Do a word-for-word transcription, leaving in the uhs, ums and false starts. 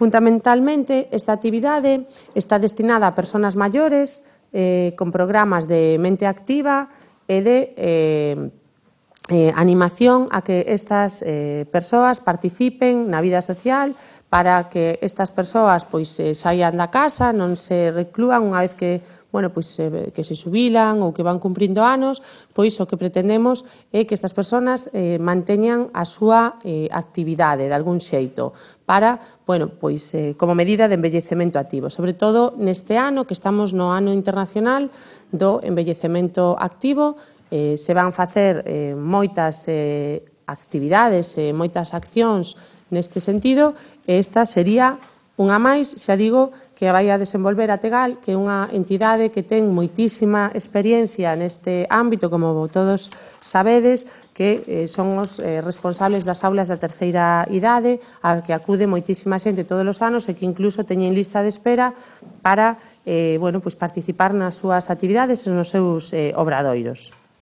Fundamentalmente, esta actividade está destinada a persoas maiores eh, con programas de mente activa e de eh, eh, animación a que estas eh, persoas participen na vida social, para que estas persoas pois, eh, saian da casa, non se reclúan unha vez que bueno, pois, eh, que se xubilan ou que van cumprindo anos, pois o que pretendemos é que estas persoas eh, manteñan a súa eh, actividade de algún xeito para, bueno, pois, eh, como medida de envellecemento activo. Sobre todo neste ano, que estamos no ano internacional do envellecemento activo, eh, se van facer eh, moitas eh, actividades e eh, moitas accións neste sentido, e esta sería unha máis, xa digo, que vai a desenvolver a Tegal, que é unha entidade que ten moitísima experiencia neste ámbito, como todos sabedes, que eh, son os eh, responsables das aulas da terceira idade, a que acude moitísima xente todos os anos e que incluso teñen lista de espera para eh, bueno, pues participar nas súas actividades e nos seus eh, obradoiros.